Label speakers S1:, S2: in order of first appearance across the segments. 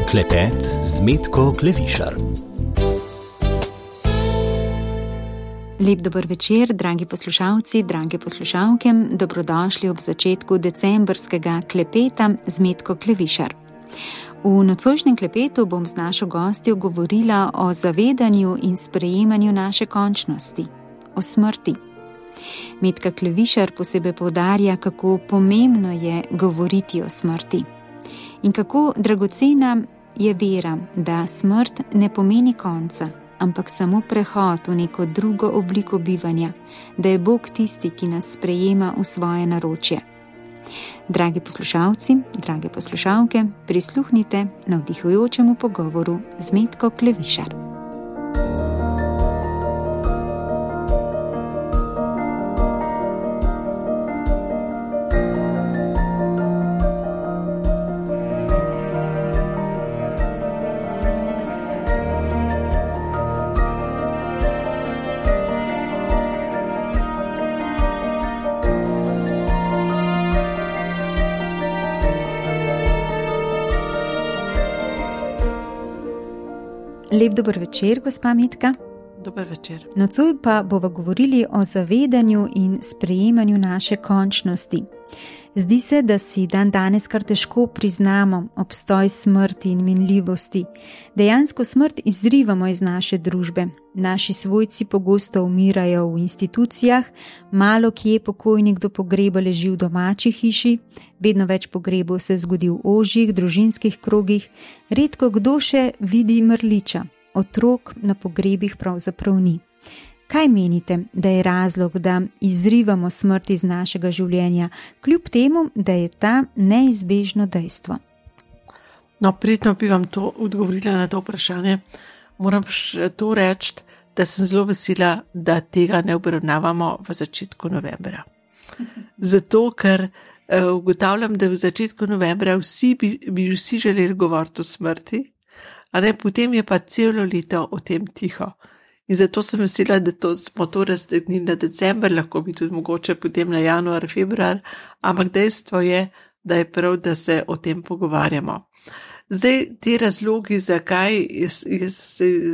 S1: Klepet z Metko Klevišar.
S2: Lep dober večer, dragi poslušalci, drage poslušalke, dobrodošli ob začetku decembrskega klepeta z Metko Klevišar. V nocojšnjem klepetu bom z našo gostjo govorila o zavedanju in sprejemanju naše končnosti, o smrti. Metka Klevišar posebej poudarja, kako pomembno je govoriti o smrti in kako dragocena je vera, da smrt ne pomeni konca, ampak samo prehod v neko drugo obliko bivanja, da je Bog tisti, ki nas sprejema v svoje naročje. Dragi poslušalci, drage poslušalke, prisluhnite navdihujočemu pogovoru z Metko Klevišar. Lep dober večer, gospa Metka.
S3: Dober večer.
S2: Nocoj pa bova govorili o zavedanju in sprejemanju naše končnosti. Zdi se, da si danes kar težko priznamo obstoj smrti in minljivosti. Dejansko smrt izrivamo iz naše družbe. Naši svojci pogosto umirajo v institucijah, malo kje pokojnik do pogreba leži v domači hiši, vedno več pogrebov se zgodi v ožjih, družinskih krogih, redko kdo še vidi mrliča, otrok na pogrebih pravzaprav ni. Kaj menite, da je razlog, da izrivamo smrt iz našega življenja, kljub temu, da je ta neizbežno dejstvo?
S3: No, prijetno bi vam to odgovorila na to vprašanje. Moram še to reči, da sem zelo vesela, da tega ne obravnavamo v začetku novembra. Zato, ker ugotavljam, da v začetku novembra bi vsi želeli govoriti o smrti, a ne, potem je pa celo leto o tem tiho. In zato sem vesela, da smo to raztegnili na december, lahko bi tudi mogoče potem na januar, februar, ampak dejstvo je, da je prav, da se o tem pogovarjamo. Zdaj, te razlogi, zakaj je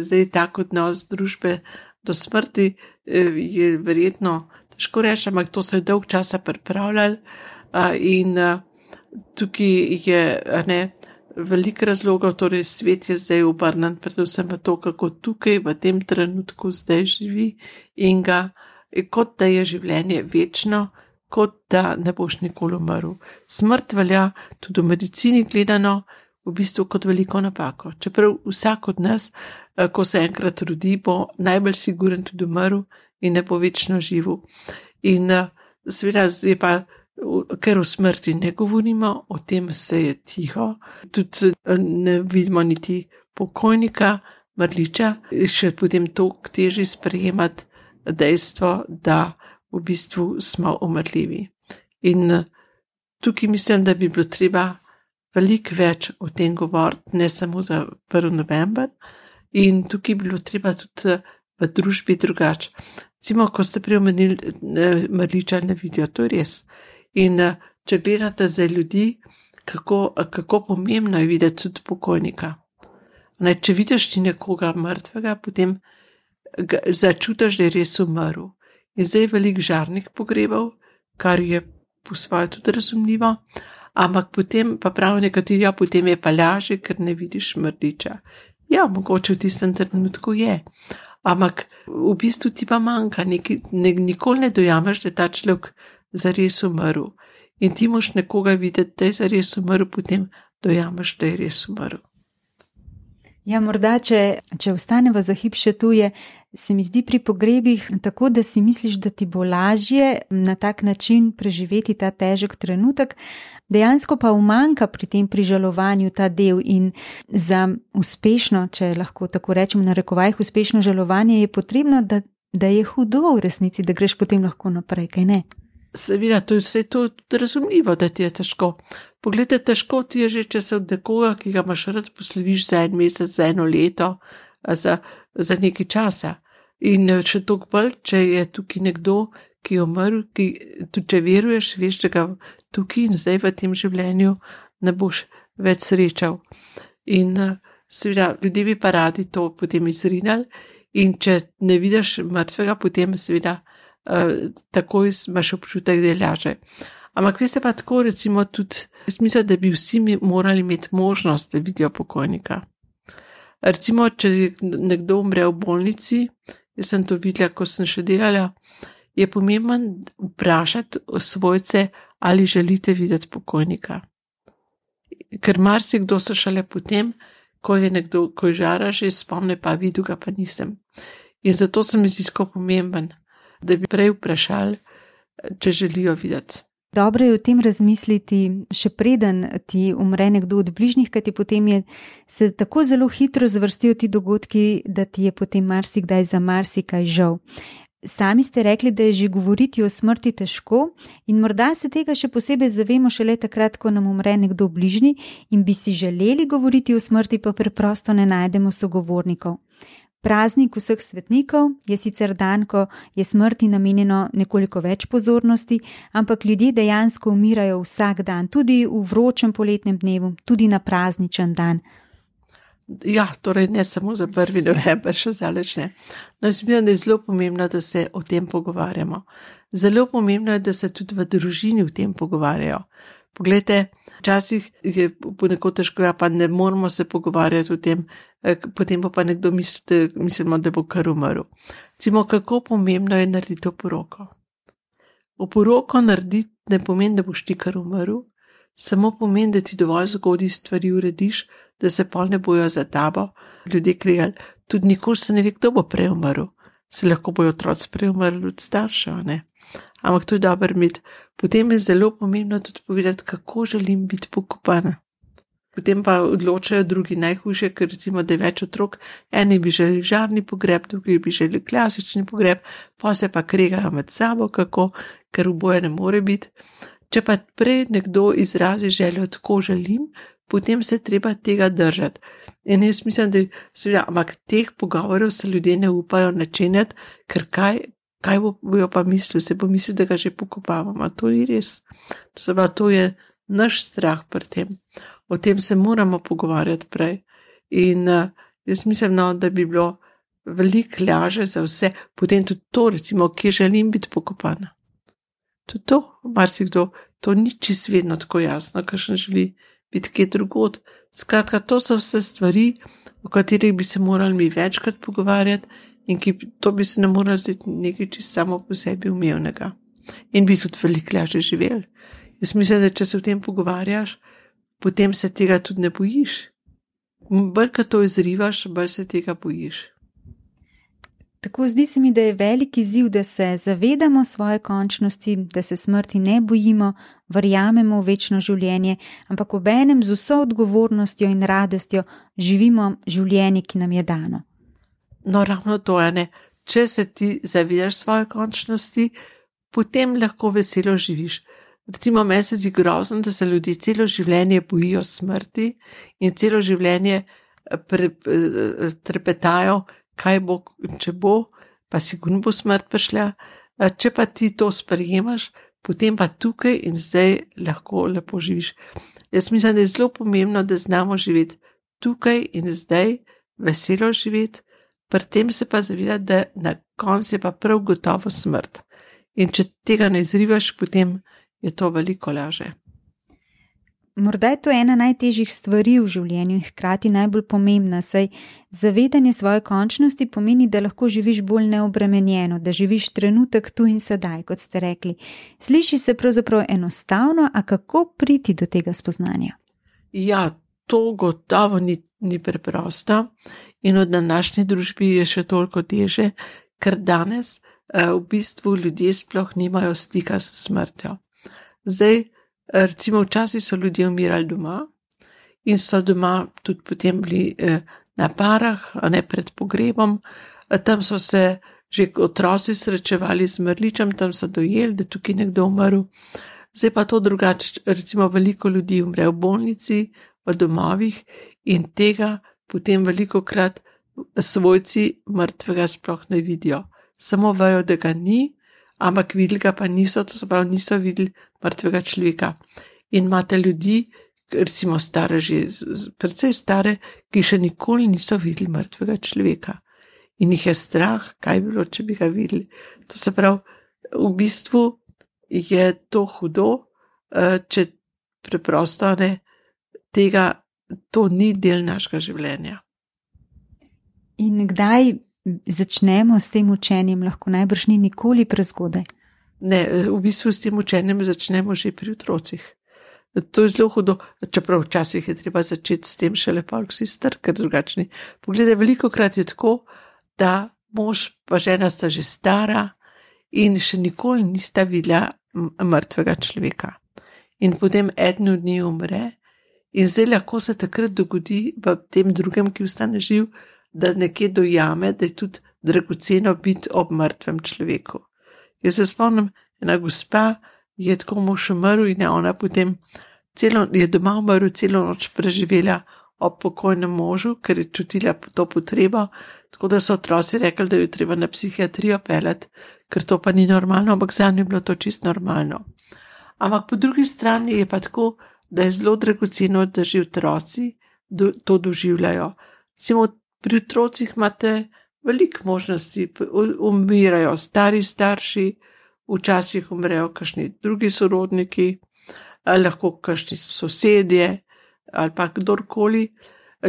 S3: zdaj tak odnos družbe do smrti, je verjetno težko reči, ampak to se je dolg časa pripravljali in tukaj je, veliko razlogov, torej svet je zdaj obrnen predvsem v to, kako tukaj v tem trenutku zdaj živi in ga, kot da je življenje večno, kot da ne boš nikoli umrl. Smrt velja tudi v medicini gledano v bistvu kot veliko napako. Čeprav vsak od nas, ko se enkrat rodi, bo najbolj siguren tudi umrl in ne bo večno živel. In seveda je pa, ker o smrti ne govorimo, o tem se je tiho, tudi ne vidimo niti pokojnika, mrliča, še potem toliko težje sprejemati dejstvo, da v bistvu smo umrljivi. In tukaj mislim, da bi bilo treba veliko več o tem govoriti, ne samo za 1. november, in tukaj bi bilo treba tudi v družbi drugače. Recimo, ko ste prej omenili, mrliča ne vidijo, to je res. In če gledate za ljudi, kako pomembno je videti tudi pokojnika. Če vidiš ti nekoga mrtvega, potem začutiš, da je res umrl. In zdaj je veliko žarnih pogrebov, kar je po svoje tudi razumljivo, ampak potem pa prav nekateri, potem je pa lažje, ker ne vidiš mrliča. Ja, mogoče v tistem trenutku je, ampak v bistvu ti pa manjka, nikoli ne dojameš, da je ta človek zares umrl. In ti moš nekoga videti, da je zares umrl, potem dojameš, da je res umrl.
S2: Ja, morda, če ostaneva za hip še tu, se mi zdi pri pogrebih tako, da si misliš, da ti bo lažje na tak način preživeti ta težek trenutek, dejansko pa umanjka pri tem prižalovanju ta del in za uspešno, če lahko tako rečem, narekovajih uspešno žalovanje je potrebno, da je hudo v resnici, da greš potem lahko naprej, kaj ne?
S3: Seveda, to je vse to razumljivo, da ti je težko. Poglejte, težko ti je že, če se od nekoga, ki ga imaš rad, posloviš za 1 mesec, za 1 leto, za nekaj časa. In še toliko bolj, če je tukaj nekdo, ki je umrl, tudi če veruješ, veš, da ga tukaj in zdaj v tem življenju ne boš več srečal. In seveda, ljudje bi pa radi to potem izrinali in če ne vidiš mrtvega, potem seveda takoj imaš občutek, da je laže. Ampak veste pa tako, recimo tudi, jaz mislim, da bi vsi morali imeti možnost, da vidijo pokojnika. Recimo, če nekdo umre v bolnici, jaz sem to videla, ko sem še delala, je pomemben vprašati svojce, ali želite videti pokojnika. Ker marsikdo se šele potem, ko je nekdo, ko je žara, že spomne, pa videl ga pa nisem. In zato se mi zdi tako pomemben, da bi prej vprašali, če želijo videti.
S2: Dobro je o tem razmisliti, še preden ti umre nekdo od bližnjih, kajti potem se tako zelo hitro zvrstijo ti dogodki, da ti je potem marsikdaj za marsikaj žal. Sami ste rekli, da je že govoriti o smrti težko in morda se tega še posebej zavemo šele takrat, ko nam umre nekdo bližnji in bi si želeli govoriti o smrti, pa preprosto ne najdemo sogovornikov. Praznik vseh svetnikov je sicer dan, ko je smrti namenjeno nekoliko več pozornosti, ampak ljudje dejansko umirajo vsak dan, tudi v vročem poletnem dnevu, tudi na prazničen dan.
S3: Ja, torej ne samo za 1. november, še zdaleč ne. No, jaz mislim, da je zelo pomembno, da se o tem pogovarjamo. Zelo pomembno je, da se tudi v družini o tem pogovarjajo. Poglejte, včasih je ponekod težko, pa ne moramo se pogovarjati o tem, potem pa nekdo mislimo, da bo kar umrl. Recimo, kako pomembno je narediti oporoko. Oporoko narediti ne pomeni, da boš ti kar umrl, samo pomeni, da ti dovolj zgodaj stvari urediš, da se pol ne bojo za tabo ljudje kregali. Tudi nikoli se ne ve, kdo bo prej umrl. Se lahko bojo otroci prej umrli od staršev, ne? Ampak to je dobro imeti. Potem je zelo pomembno tudi povedati, kako želim biti pokopana. Potem pa odločajo drugi najhujše, ker recimo, da je več otrok, eni bi želeli žarni pogreb, drugi bi želeli klasični pogreb, pa se pa kregajo med sabo, kako, ker oboje ne more biti. Če pa prej nekdo izrazi željo, tako želim, potem se treba tega držati. In jaz mislim, da seveda, ampak teh pogovorov se ljudje ne upajo načenjati, ker kaj bojo pa mislili, se bo mislil, da ga že pokopavamo. To ni res. To je naš strah pri tem. O tem se moramo pogovarjati prej. In jaz mislim, da bi bilo veliko laže za vse. Potem tudi to, recimo, kje želim biti pokopana. Tudi to, marsikdo, to ni čisto vedno tako jasno, kakšen želi biti kje drugod. Skratka, to so vse stvari, o katerih bi se morali mi večkrat pogovarjati in to bi se ne morali zdeti nekaj čisto samo po sebi umevnega. In bi tudi veliko lažje živeli. Jaz mislim, da če se o tem pogovarjaš, potem se tega tudi ne bojiš. Bolj, ko to izrivaš, bolj se tega bojiš.
S2: Tako zdi se mi, da je velik izziv, da se zavedamo svoje končnosti, da se smrti ne bojimo, verjamemo v večno življenje, ampak obenem z vso odgovornostjo in radostjo živimo življenje, ki nam je dano.
S3: No, ravno to je, ne. Če se ti zavedaš svoje končnosti, potem lahko veselo živiš. Recimo, meni se zdi grozno, da se ljudje celo življenje bojijo smrti in celo življenje trepetajo, kaj bo, če bo, pa sigurno bo smrt prišla. Če pa ti to sprejemaš, potem pa tukaj in zdaj lahko lepo živiš. Jaz mislim, da je zelo pomembno, da znamo živeti tukaj in zdaj, veselo živeti, pri tem se pa zavedati, da na koncu je pa prav gotovo smrt. In če tega ne izrivaš, potem je to veliko laže.
S2: Morda je to ena najtežjih stvari v življenju in hkrati najbolj pomembna, saj zavedanje svoje končnosti pomeni, da lahko živiš bolj neobremenjeno, da živiš trenutek tu in sedaj, kot ste rekli. Sliši se pravzaprav enostavno, a kako priti do tega spoznanja?
S3: Ja, to gotovo ni preprosto in v današnji družbi je še toliko teže, ker danes v bistvu ljudje sploh nimajo stika s smrtjo. Zdaj, recimo včasih so ljudje umirali doma in so doma tudi potem bili na parah, a ne pred pogrebom, tam so se že otroci srečevali z mrličem, tam so dojeli, da tukaj nekdo umrl. Zdaj pa to drugače, recimo veliko ljudi umre v bolnici, v domovih in tega potem velikokrat svojci mrtvega sploh ne vidijo. Samo vejo, da ga ni, ampak videli ga pa niso, to se pravi, niso videli mrtvega človeka. In imate ljudi, recimo stare že, precej stare, ki še nikoli niso videli mrtvega človeka. In jih je strah, kaj bi bilo, če bi ga videli. To se pravi, v bistvu je to hudo, če preprosto ne tega, to ni del našega življenja.
S2: In kdaj začnemo s tem učenjem, lahko najbrž ni nikoli prezgodaj?
S3: Ne, v bistvu s tem učenjem začnemo že pri otrocih. To je zelo hudo, čeprav včasih je treba začeti s tem šele pa vsi star, ker drugačni. Poglejte, velikokrat je tako, da mož pa žena sta že stara in še nikoli nista videla mrtvega človeka. In potem eden od njih umre in zdaj lahko se takrat dogodi v tem drugem, ki ostane živ, da nekje dojame, da je tudi dragoceno biti ob mrtvem človeku. Jaz se spomnim, ena gospa je tako mož umrl in je ona potem je doma umrl, celo noč preživela ob pokojnem možu, ker je čutila to potrebo, tako da so otroci rekli, da jo treba na psihiatrijo peljati, ker to pa ni normalno, ampak za njo je bilo to čisto normalno. Ampak po drugi strani je pa tako, da je zelo dragoceno, da že otroci to doživljajo. Recimo pri otrocih imate veliko možnosti, umirajo stari starši, včasih umrejo kakšni drugi sorodniki, lahko kakšni sosedje ali pa kdorkoli.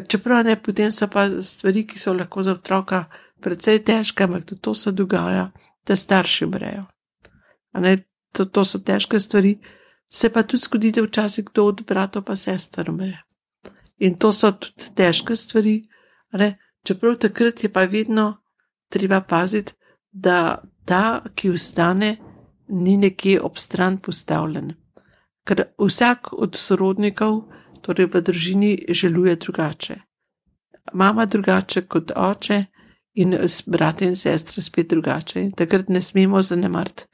S3: Čeprav ne, potem so pa stvari, ki so lahko za otroka precej težke, ampak tudi to se dogaja, da starši umrejo. To so težke stvari, se pa tudi zgodi, da včasih kdo od bratov pa sester umre. In to so tudi težke stvari, čeprav takrat je pa vedno treba paziti, da ta, ki ostane, ni nekje ob stran postavljen. Ker vsak od sorodnikov, torej v družini, želuje drugače. Mama drugače kot oče in brate in sestre spet drugače. In takrat ne smemo zanemariti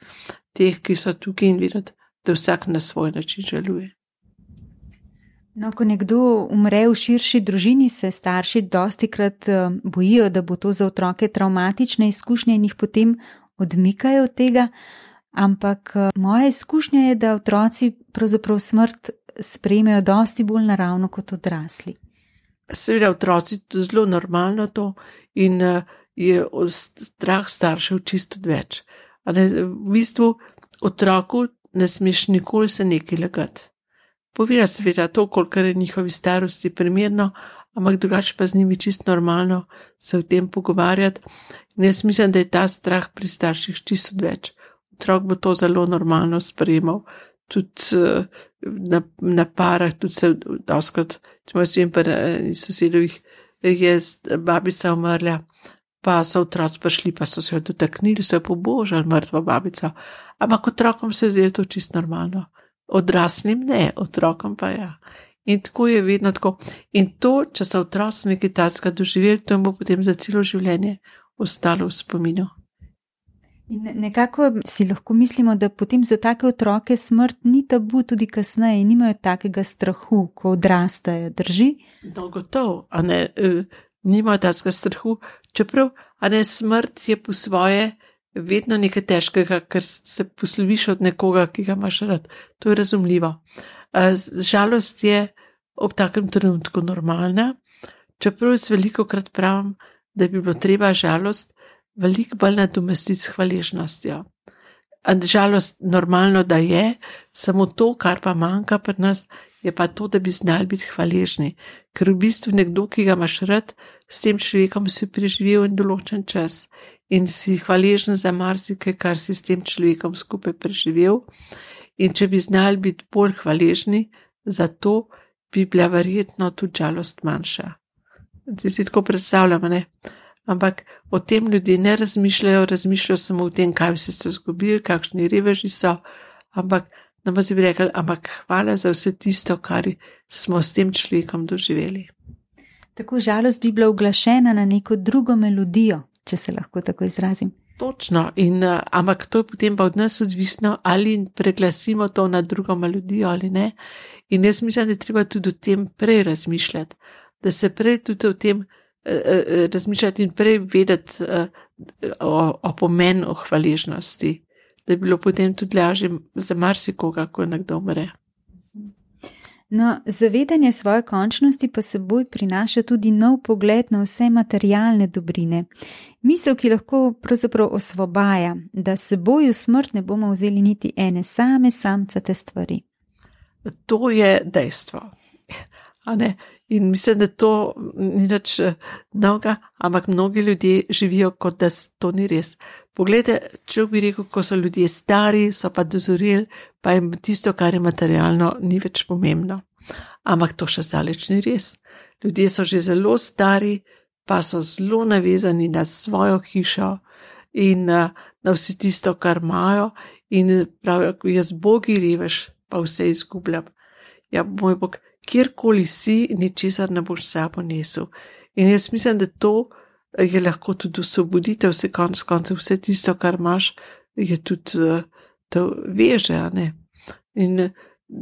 S3: teh, ki so tukaj in videti, da vsak na svoj način želuje.
S2: No, ko nekdo umre v širši družini, se starši dostikrat bojijo, da bo to za otroke travmatične izkušnje in jih potem odmikajo od tega, ampak moja izkušnja je, da otroci pravzaprav smrt sprejmejo dosti bolj naravno kot odrasli.
S3: Seveda otroci to zelo normalno to in je strah staršev čisto več. V bistvu otroku ne smeš nikoli se nekaj lagati. Povira seveda to, kolikor je njihovi starosti primerno, ampak drugače pa z njimi čisto normalno se o tem pogovarjati. In jaz mislim, da je ta strah pri starših čisto več. Otrok bo to zelo normalno sprejemal. Tudi na parah, tudi se doskrat, če jaz vem, pri sosedovih je babica umrla, pa so otroci prišli, pa so se jo dotaknili, so jo pobožali, mrtvo babico. Ampak otrokom se je zdelo to čisto normalno. Odraslim ne, otrokom pa ja. In tako je vedno tako. In to, če so otroci nekaj takega doživeli, to jim bo potem za celo življenje ostalo v spominu.
S2: In nekako si lahko mislimo, da potem za take otroke smrt ni tabu tudi kasneje in nimajo takega strahu, ko odrastajo, drži?
S3: No, gotovo, nimajo takega strahu, čeprav, smrt je po svoje vedno nekaj težkega, ker se posloviš od nekoga, ki ga imaš rad. To je razumljivo. Žalost je ob takem trenutku normalna, čeprav jaz velikokrat pravim, da bi bilo treba žalost veliko bolj nadomestiti s hvaležnostjo. Žalost normalno, da je, samo to, kar pa manjka pri nas, je pa to, da bi znali biti hvaležni. Ker v bistvu nekdo, ki ga imaš rad, s tem človekom si preživel en določen čas in si hvaležen za marsikaj, kar si s tem človekom skupaj preživel. In če bi znali biti bolj hvaležni, za to bi bila verjetno tudi žalost manjša. Ti si tako predstavljam, ne? Ampak o tem ljudje ne razmišljajo samo o tem, kaj vse so izgubili, kakšni reveži so, ampak nam bi rekli, ampak hvala za vse tisto, kar smo s tem človekom doživeli.
S2: Tako žalost bi bila uglašena na neko drugo melodijo, če se lahko tako izrazim.
S3: Točno, ampak to je potem pa od nas odvisno, ali preglasimo to na drugo melodijo ali ne. In jaz mislim, da je treba tudi o tem prej razmišljati, da se prej tudi o tem razmišljati in prej vedeti o pomenu hvaležnosti, da je bilo potem tudi lažje za marsikoga, ko nekdo umre.
S2: No, zavedanje svoje končnosti pa seboj prinaša tudi nov pogled na vse materialne dobrine. Misel, ki lahko pravzaprav osvobaja, da seboj v smrt ne bomo vzeli niti ene samcate stvari.
S3: To je dejstvo. A ne? In mislim, da to ni nič novega, ampak mnogi ljudje živijo, kot da to ni res. Poglejte, če bi rekel, ko so ljudje stari, so pa dozoreli, pa jim tisto, kar je materialno, ni več pomembno. Ampak to še zdaleč ni res. Ljudje so že zelo stari, pa so zelo navezani na svojo hišo in na vse tisto, kar imajo, in pravijo, jaz bogi revež, pa vse izgubljam. Ja, moj bog, kjerkoli si, ničesar ne boš sabo nesel. In jaz mislim, da to je lahko tudi osvoboditev, vse konec koncev, vse tisto, kar imaš, je tudi to veže, a ne. In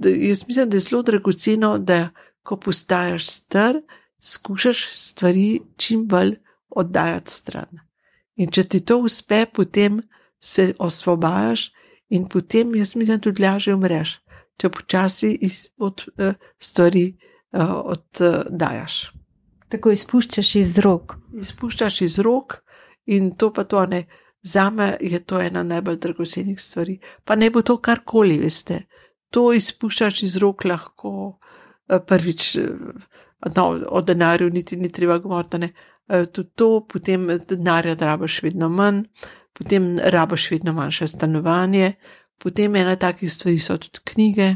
S3: jaz mislim, da je zelo dragoceno, da ko postajaš star, skušaš stvari čim bolj oddajati stran. In če ti to uspe, potem se osvobajaš in potem, jaz mislim, tudi lažje umreš, če počasi od stvari oddajaš.
S2: Tako izpuščaš iz rok.
S3: Izpuščaš iz rok in to pa to ne. Zame je to ena najbolj dragocenih stvari. Pa ne bo to karkoli, veste. To izpuščaš iz rok lahko prvič, o denarju niti ni treba govoriti, ne. Tudi to, potem denarja rabiš vedno manj, potem rabiš vedno manjše stanovanje, potem ena takih stvari so tudi knjige.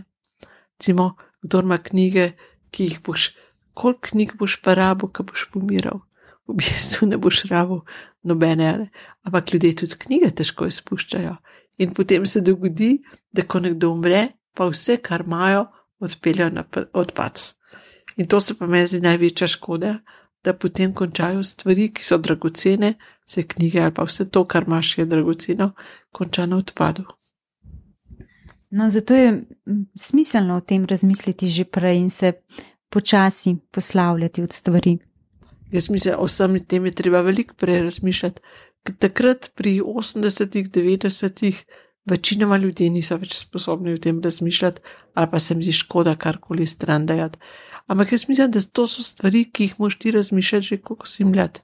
S3: Recimo, kdor ima knjige, ki jih boš, koliko knjig boš pa rabil, ko boš pomiral? V bistvu ne boš rabil nobene, ne? Ampak ljudje tudi knjige težko izpuščajo. In potem se dogodi, da ko nekdo umre, pa vse, kar imajo, odpeljajo na odpad. In to se pa meni zdi največja škoda, da potem končajo stvari, ki so dragocene, se knjige ali pa vse to, kar imaš, je dragoceno, konča na odpadu.
S2: No, zato je smiselno o tem razmisliti že prej in se počasi poslavljati od stvari.
S3: Jaz mislim, o samih tem je treba veliko prej razmišljati. Takrat pri 80-ih, 90-ih večinoma ljudje niso več sposobni o tem razmišljati ali pa se mi zdi škoda karkoli stran dajati. Ampak jaz mislim, da to so stvari, ki jih moš ti razmišljati že, ko si mlad.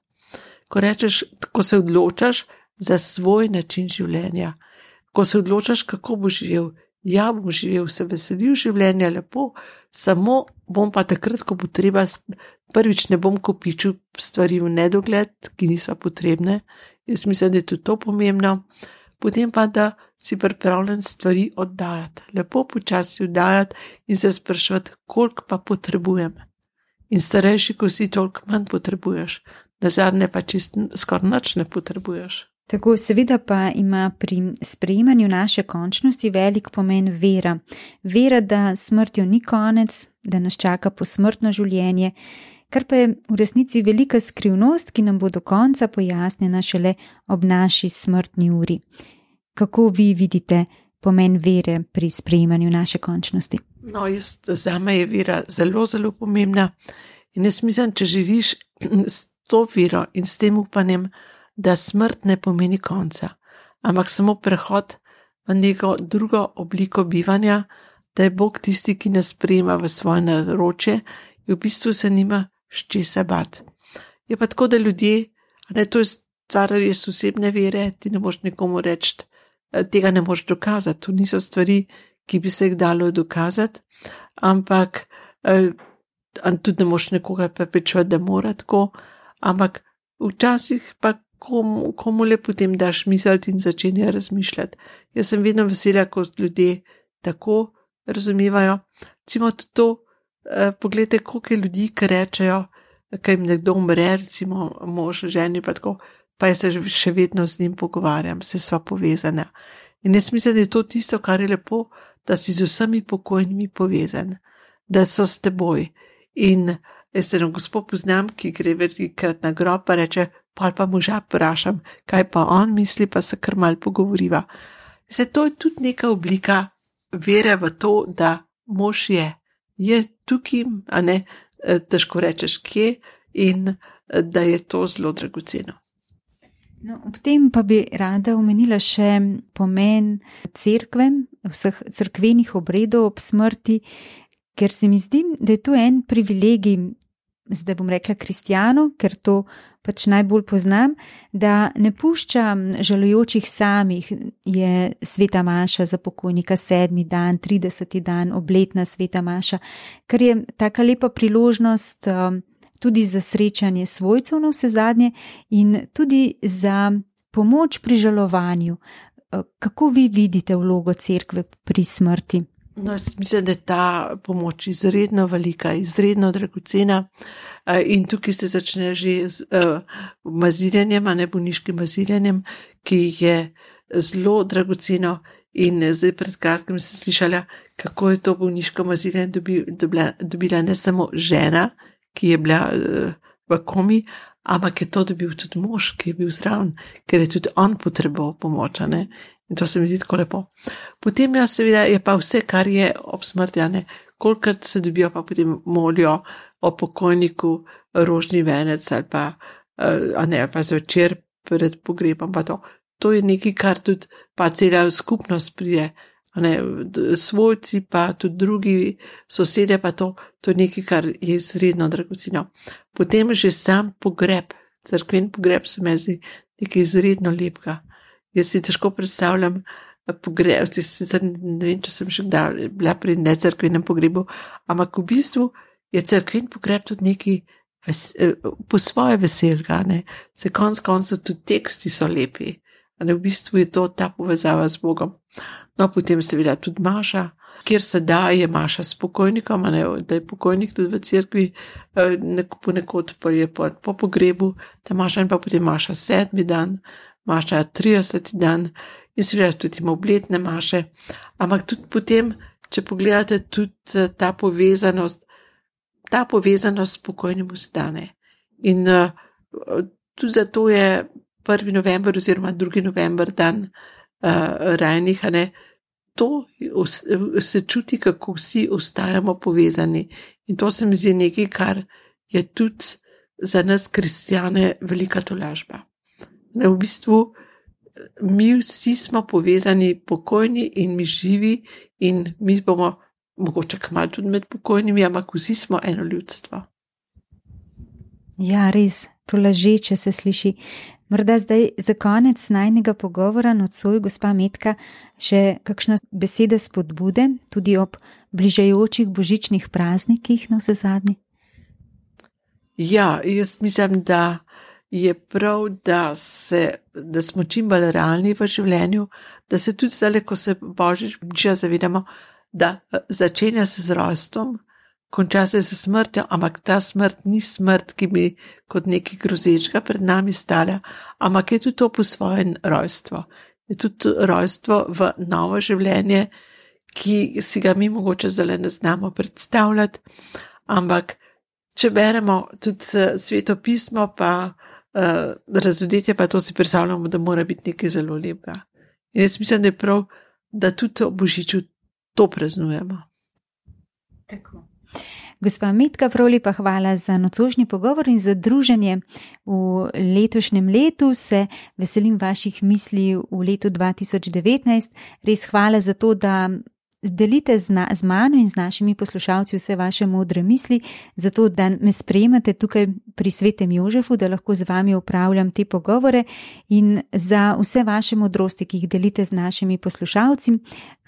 S3: Ko se odločaš za svoj način življenja, ko se odločaš, kako boš živel. Ja, bom živel, se veselil življenja lepo, samo bom pa takrat, ko bo treba, prvič ne bom kopičil stvari v nedogled, ki niso potrebne. Jaz mislim, da je tudi to pomembno. Potem pa, da si pripravljen stvari oddajati, lepo počasi oddajati in se spraševati, koliko pa potrebujem. In starejši, ko si, toliko manj potrebuješ, nazadnje pa čisto skoraj nič ne potrebuješ.
S2: Tako, seveda pa ima pri sprejemanju naše končnosti velik pomen vera. Vera, da smrtjo ni konec, da nas čaka posmrtno življenje, kar pa je v resnici velika skrivnost, ki nam bo do konca pojasnjena šele ob naši smrtni uri. Kako vi vidite pomen vere pri sprejemanju naše končnosti?
S3: No, zame je vera zelo, zelo pomembna in jaz mislim, če živiš s to vero in s tem upanjem, da smrt ne pomeni konca, ampak samo prehod v neko drugo obliko bivanja, da je Bog tisti, ki nas sprejema v svoje naročje in v bistvu se nima s česa bati. Je pa tako, da ljudje, to je stvar res osebne vere, ti ne moš nikomu reči, tega ne moš dokazati, to niso stvari, ki bi se jih dalo dokazati, ampak tudi ne moš nekoga prepričevati, da mora tako, ampak včasih pa komu le potem daš misliti in začenja razmišljati. Jaz sem vedno vesela, ko ljudje tako razumevajo. Recimo tudi to, pogledajte, koliko je ljudi, ki rečejo, ko jim nekdo umre, recimo mož, ženi pa tako, pa jaz se še vedno z njim pogovarjam, se sva povezana. In jaz mislim, da je to tisto, kar je lepo, da si z vsemi pokojnimi povezan, da so s teboj. In jaz se gospod poznam, ki gre velikrat na grob, pa reče, pa moža vprašam, kaj pa on misli, pa se kar malo pogovoriva. To je tudi neka oblika vere v to, da mož je tukaj, a ne, težko rečeš kje, in da je to zelo dragoceno.
S2: No, ob tem pa bi rada omenila še pomen cerkve, vseh cerkvenih obredov ob smrti, ker se mi zdi, da je to en privilegij, zdaj bom rekla kristjanov, ker to pač najbolj poznam, da ne pušča žalujočih samih. Je sveta maša za pokojnika 7. dan, 30. dan, obletna sveta maša, ker je taka lepa priložnost tudi za srečanje svojcev na vse zadnje in tudi za pomoč pri žalovanju. Kako vi vidite vlogo cerkve pri smrti?
S3: No, mislim, da je ta pomoč izredno velika, izredno dragocena in tukaj se začne že z maziljenjem, bolniškim maziljenjem, ki je zelo dragoceno in zdaj pred kratkim sem slišala, kako je to bolniško maziljenje dobila ne samo žena, ki je bila v komi, ampak je to dobil tudi mož, ki je bil zraven, ker je tudi on potreboval pomoč, ne? In to se mi zdi tako lepo. Potem seveda je pa vse, kar je ob smrti, kolikrat se dobijo, pa potem molijo o pokojniku rožni venec ali pa zvečer pred pogrebom, pa to. To je nekaj, kar tudi pa cela skupnost prije, svojci pa tudi drugi sosedje, pa to je nekaj, kar je izredno dragoceno. Potem že sam pogreb, cerkven pogreb se mi zdi nekaj izredno lepega. Jaz si težko predstavljam pogreb, ne vem, če sem še kdaj bila pri necerkvenem pogrebu, ampak v bistvu je cerkven pogreb tudi nekaj po svoje veselga, se konec koncev tudi teksti so lepi, v bistvu je to ta povezava z Bogom. No, potem seveda tudi maša, kjer se da, je maša s pokojnikom, da je pokojnik tudi v cerkvi, ponekod pa je po pogrebu, ta maša in pa potem maša 7. dan, maša 30. dan in seveda tudi ima obletne maše, ampak tudi potem, če pogledate tudi ta povezanost s pokojnim vstane. In tudi zato je 1. november oziroma 2. november dan rajnih, to se čuti, kako vsi ostajamo povezani. In to se mi zdi nekaj, kar je tudi za nas kristjane velika tolažba. V bistvu mi vsi smo povezani, pokojni in mi živi, in mi bomo mogoče kmalu tudi med pokojnimi, ampak vsi smo eno ljudstvo.
S2: Ja, res, to lažeče se sliši. Morda zdaj za konec najnega pogovora nocoj, gospa Metka, še kakšna beseda spodbude, tudi ob bližajočih božičnih praznikih na vse zadnje?
S3: Ja, jaz mislim, da je prav, da smo čim bolj realni v življenju, da se tudi zdaj, ko se božič bliža, zavedamo, da začenja se z rojstvom, konča se z smrtjo, ampak ta smrt ni smrt, ki bi kot nekaj grozečega pred nami stala, ampak je tudi to po svoje rojstvo. Je tudi rojstvo v novo življenje, ki si ga mi mogoče zdaj ne znamo predstavljati, ampak če beremo tudi Sveto pismo, pa razodetje, pa to si predstavljamo, da mora biti nekaj zelo lepega. In jaz mislim, da je prav, da tudi o božiču to praznujemo.
S2: Tako. Gospa Metka, prav lepa hvala za nocojšnji pogovor in za druženje v letošnjem letu. Se veselim vaših misli v letu 2019. Res hvala za to, da delite z mano in z našimi poslušalci vse vaše modre misli, zato da me sprejemate tukaj pri Svetem Jožefu, da lahko z vami upravljam te pogovore, in za vse vaše modrosti, ki jih delite z našimi poslušalci.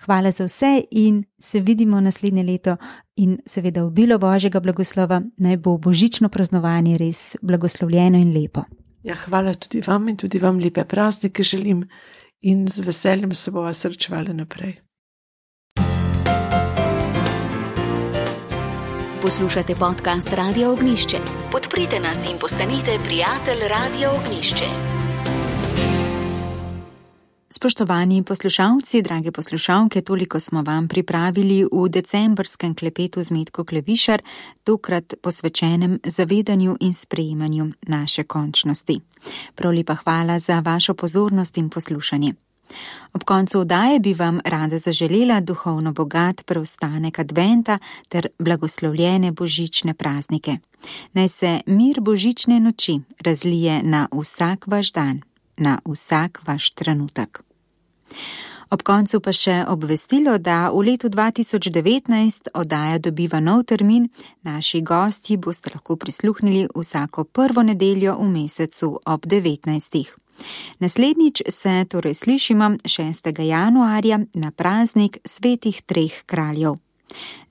S2: Hvala za vse in se vidimo naslednje leto in seveda obilo Božjega blagoslova, naj bo božično praznovanje res blagoslovljeno in lepo.
S3: Ja, hvala tudi vam in tudi vam lepe praznike želim in z veseljem se bova srečevali naprej.
S1: Poslušate podcast Radia Ognjišče. Podprite nas in postanite prijatelj Radia Ognjišče.
S2: Spoštovani poslušalci, drage poslušalke, toliko smo vam pripravili v decembrskem klepetu z Metko Klevišar, tokrat posvečenem zavedanju in sprejemanju naše končnosti. Prav lepa hvala za vašo pozornost in poslušanje. Ob koncu oddaje bi vam rada zaželela duhovno bogat preostanek adventa ter blagoslovljene božične praznike. Naj se mir božične noči razlije na vsak vaš dan, na vsak vaš trenutek. Ob koncu pa še obvestilo, da v letu 2019 oddaja dobiva nov termin, naši gostji boste lahko prisluhnili vsako prvo nedeljo v mesecu ob 19. Naslednjič se torej slišimo 6. januarja na praznik Svetih treh kraljev.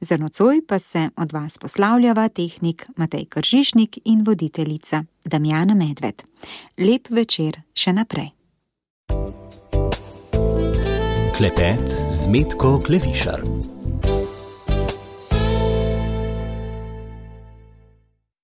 S2: Za nocoj pa se od vas poslavljava tehnik Matej Kržišnik in voditeljica Damjana Medved. Lep večer še naprej.
S4: Klepet z Metko Klevišar.